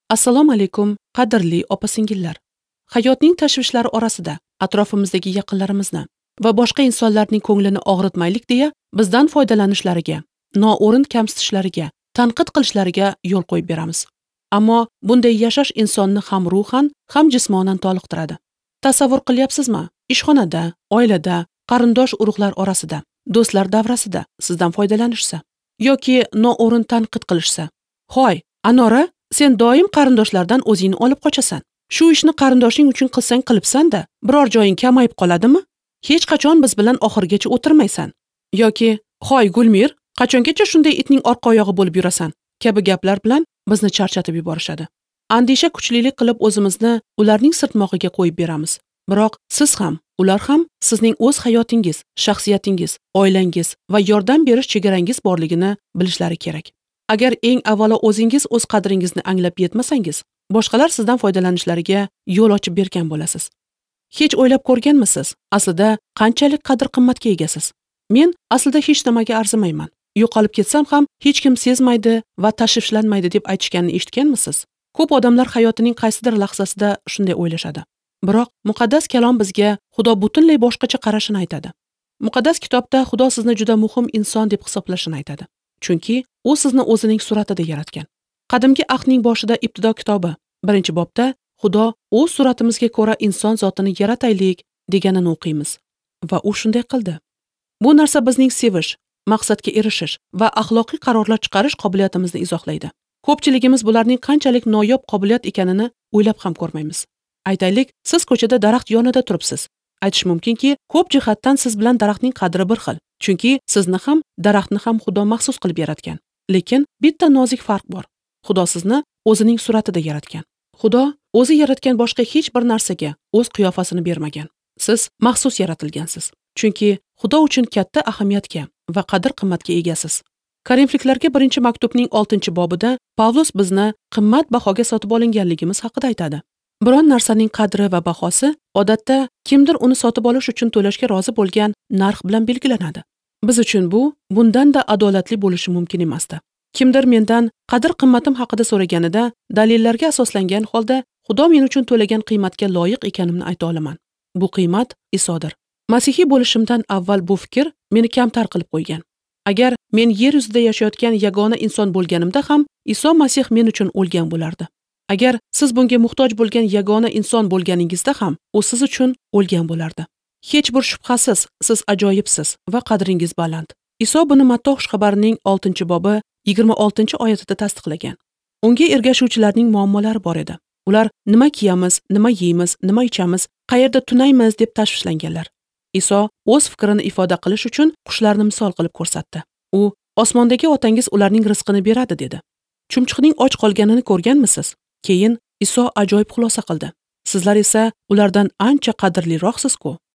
Assalomu alaykum, qadrli opa-singillar. Hayotning tashvishlari orasida atrofimizdagi yaqinlarimizni va boshqa insonlarning ko'nglini og'ritmaylik deya bizdan foydalanishlariga, noo'rin kamsitishlariga, tanqid qilishlariga yo'l qo'yib beramiz. Ammo bunday yashash insonni ham ruhan, ham jismonan toliqtiradi. Tasavvur qilyapsizmi? Ishxonada, oilada, qarindosh urug'lar orasida, do'stlar davrasida sizdan foydalanishsa yoki noo'rin tanqid qilishsa. "Hoy, Anora, sen doim qarindoshlardan o'zingni olib qochasan. Shu ishni qarindoshing uchun qilsang qilibsan-da, biror joying kamayib qoladimi? Hech qachon biz bilan oxirigacha o'tirmaysan." Yoki "Hoy, Gulmir, qachongacha shunday itning orqa oyog'i bo'lib yurasan?" kabi gaplar bilan bizni charchatib yuborishadi. Andisha kuchlilik qilib o'zimizni ularning sirtmog'iga qo'yib beramiz. Biroq siz ham, ular ham sizning o'z hayotingiz, shaxsiyatingiz, oilangiz va yordam berish chegarangiz borligini bilishlari kerak. Agar eng avvalo o'zingiz o'z qadringizni anglab yetmasangiz, boshqalar sizdan foydalanishlariga yo'l ochib bergan bo'lasiz. Hech o'ylab ko'rganmisiz, aslida qanchalik qadr-qimmatga egasiz? Men aslida hech nimaga arzimayman. Yo'qolib ketsam ham hech kim sezmaydi va tashvishlanmaydi deb aytishganini eshitganmisiz? Ko'p odamlar hayotining qaysidir lahzasida shunday o'ylashadi. Biroq muqaddas kalom bizga Xudo butunlay boshqacha qarashini aytadi. Muqaddas kitobda Xudo sizni juda muhim inson deb hisoblashini aytadi. Chunki u sizni o'zining suratida yaratgan. Qadimgi ahdning boshida Ibtido kitobi 1-bobda Xudo o'z suratimizga ko'ra inson zotini yarataylik deganini o'qiymiz va u shunday qildi. Bu narsa bizning sevish, maqsadga erishish va axloqiy qarorlar chiqarish qobiliyatimizni izohlaydi. Ko'pchiligimiz bularning qanchalik noyob qobiliyat ekanini o'ylab ham ko'rmaymiz. Aytaylik, siz ko'chada daraxt yonida turibsiz. Aytish mumkinki, ko'p jihatdan siz bilan daraxtning qadri bir xil. Chunki sizni ham, daraxtni ham Xudo maxsus qilib yaratgan. Lekin bitta nozik farq bor. Xudo sizni o'zining suratida yaratgan. Xudo o'zi yaratgan boshqa hech bir narsaga o'z qiyofasini bermagan. Siz maxsus yaratilgansiz. Chunki Xudo uchun katta ahamiyatga va qadr-qimmatga egasiz. Korinfliklarga 1-maktubning 6-bobida Pavlus bizni qimmat bahoga sotib olinganligimiz haqida aytadi. Biron narsaning qadri va bahosi odatda kimdir uni sotib olish uchun to'lashga rozi bo'lgan narx bilan belgilanadi. Biz uchun bu bundan-da adolatli bo'lishi mumkin emasdi. Kimdir mendan qadr-qimmatim haqida so'raganida dalillarga asoslangan holda Xudo men uchun to'lagan qiymatga loyiq ekanimni ayta olaman. Bu qiymat Isodir. Masihiy bo'lishimdan avval bu fikr meni kamtar qilib qo'ygan. Agar men yer yuzida yashayotgan yagona inson bo'lganimda ham Iso Masih men uchun o'lgan bo'lardi. Agar siz bunga muhtoj bo'lgan yagona inson bo'lganingizda ham u siz uchun o'lgan bo'lardi. Hech bir shubhasiz siz ajoyibsiz va qadringiz baland. Iso buni Matto xushxabarining 6-bobi 26-oyatida tasdiqlagan. Unga ergashuvchilarning muammolari bor edi. Ular nima kiyamiz, nima yeymiz, nima ichamiz, qayerda tunaymiz deb tashvishlanganlar. Iso o'z fikrini ifoda qilish uchun qushlarni misol qilib ko'rsatdi. U osmondagi otangiz ularning rizqini beradi dedi. Chumchuqning och qolganini ko'rganmisiz? Keyin Iso ajoyib xulosa qildi. Sizlar esa ulardan ancha qadrliroqsiz-ku.